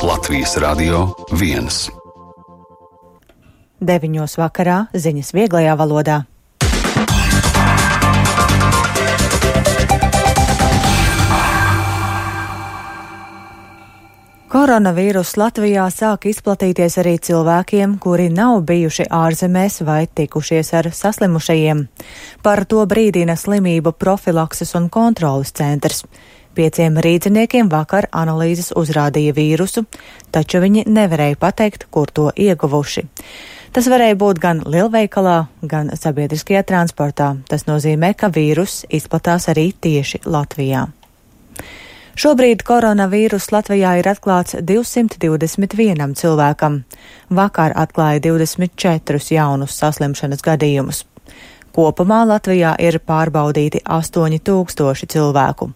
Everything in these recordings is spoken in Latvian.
Latvijas Radio 1. 9. vakarā ziņas vieglajā valodā. Koronavīruss Latvijā sāk izplatīties arī cilvēkiem, kuri nav bijuši ārzemēs vai tikušies ar saslimušajiem. Par to brīdina slimību profilakses un kontroles centrs. 5 rīdziniekiem vakar analīzes uzrādīja vīrusu, taču viņi nevarēja pateikt, kur to ieguvuši. Tas varēja būt gan lielveikalā, gan sabiedriskajā transportā. Tas nozīmē, ka vīruss izplatās arī tieši Latvijā. Šobrīd koronavīruss Latvijā ir atklāts 221 cilvēkam. Vakar atklāja 24 jaunus saslimšanas gadījumus. Kopumā Latvijā ir pārbaudīti 8000 cilvēku.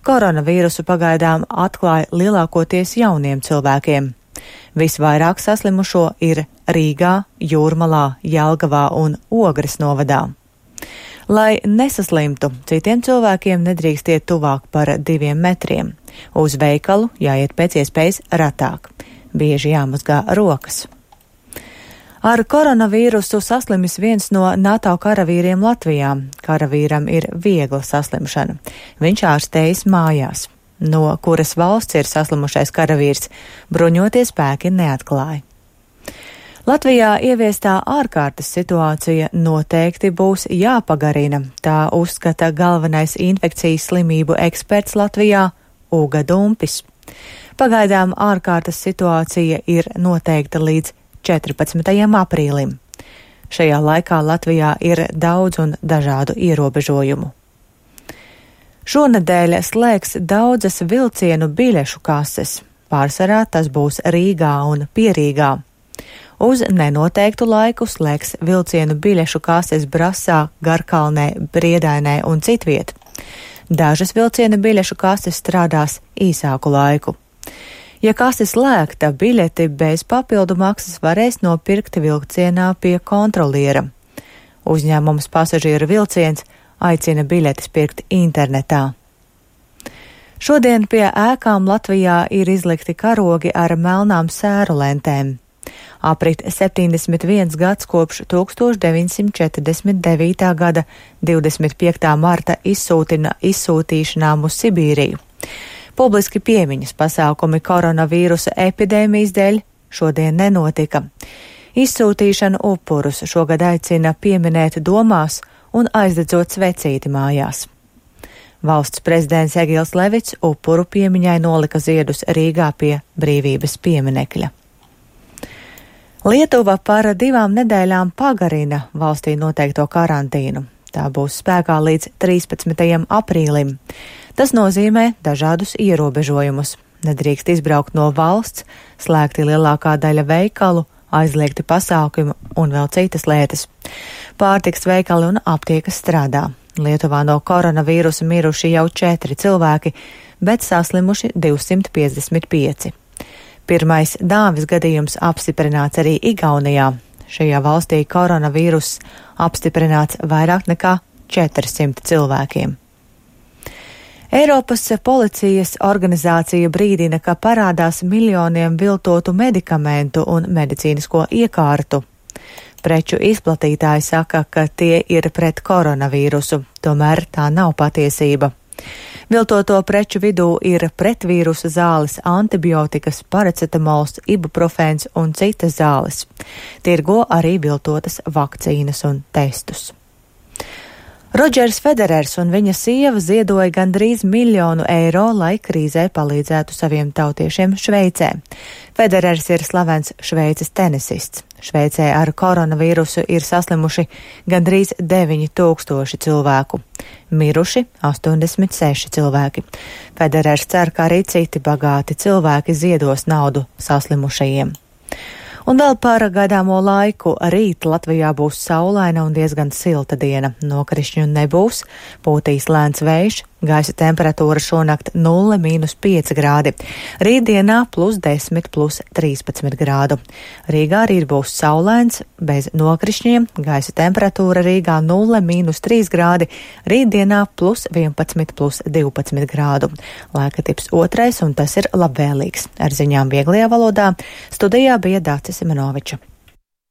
Koronavīrusu pagaidām atklāja lielākoties jauniem cilvēkiem. Visvairāk saslimušo ir Rīgā, Jūrmalā, Jelgavā un Ogres novadā. Lai nesaslimtu, citiem cilvēkiem nedrīkst iet tuvāk par 2 metriem. Uz veikalu jāiet pēc iespējas retāk. Bieži jāmazgā rokas. Ar koronavīrusu saslimis viens no NATO karavīriem Latvijā. Karavīram ir viegla saslimšana. Viņš ārstējas mājās. No kuras valsts ir saslimušais karavīrs, bruņotie spēki neatklāja. Latvijā ieviestā ārkārtas situācija noteikti būs jāpagarina, tā uzskata galvenais infekcijas slimību eksperts Latvijā Uga Dumpis. Pagaidām ārkārtas situācija ir noteikta līdz 14. aprīlim. Šajā laikā Latvijā ir daudz un dažādu ierobežojumu. Šonedēļ slēgs daudzas vilcienu biļešu kases. Pārsvarā tas būs Rīgā un Pierīgā. Uz nenoteiktu laiku slēgs vilcienu biļešu kases Brasā, Garkalnē, Briedainē un citviet. Dažas vilcienu biļešu kases strādās īsāku laiku. Ja kase slēgta, biļeti bez papildu maksas varēs nopirkt vilcienā pie kontroliera. Uzņēmums Pasažieru vilciens aicina biļetes pirkt internetā. Šodien pie ēkām Latvijā ir izlikti karogi ar melnām sēru lentēm. Aprit 71 gads kopš 1949. gada 25. marta izsūtīšanām uz Sibīriju. Publiski piemiņas pasākumi koronavīrusa epidēmijas dēļ šodien nenotika. Izsūtīšanu upurus šogad aicina pieminēt domās un aizdedzot svecīti mājās. Valsts prezidents Egils Levits upuru piemiņai nolika ziedus Rīgā pie Brīvības pieminekļa. Lietuva par 2 nedēļām pagarina valstī noteikto karantīnu. Tā būs spēkā līdz 13. aprīlim. Tas nozīmē dažādus ierobežojumus. Nedrīkst izbraukt no valsts, slēgti lielākā daļa veikalu, aizliegti pasākumi un vēl citas lietas. Pārtikas veikali un aptiekas strādā. Lietuvā no koronavīrusa miruši jau 4 cilvēki, bet saslimuši 255. Pirmais dāvis gadījums apstiprināts arī Igaunijā. Šajā valstī koronavīruss apstiprināts vairāk nekā 400 cilvēkiem. Eiropas policijas organizācija brīdina, ka parādās miljoniem viltotu medikamentu un medicīnisko iekārtu. Preču izplatītāji saka, ka tie ir pret koronavīrusu, tomēr tā nav patiesība. Viltoto preču vidū ir pretvīrusa zāles, antibiotikas, paracetamols, ibuprofēns un citas zāles. Tirgo arī viltotas vakcīnas un testus. Rodžers Federers un viņa sieva ziedoja gandrīz 1 000 000 eiro, lai krīzē palīdzētu saviem tautiešiem Šveicē. Federers ir slavens Šveices tenisists. Šveicē ar koronavīrusu ir saslimuši gandrīz 9000 cilvēku. Miruši 86 cilvēki. Federers cer, ka arī citi bagāti cilvēki ziedos naudu saslimušajiem. Un vēl par gaidāmo laiku. Rīt Latvijā būs saulaina un diezgan silta diena. Nokrišņu nebūs, pūtīs lēns vējš, Gaisa temperatūra šonakt 0–5 grādi. Rītdienā +10, +13 grādu. Rīgā rīt būs saulains, bez nokrišņiem. Gaisa temperatūra Rīgā 0–3 grādi. Rītdienā +11, +12 grādu. Laika tips 2, un tas ir labvēlīgs. Ar ziņām vieglajā valodā studijā bija Dācis Simenoviča.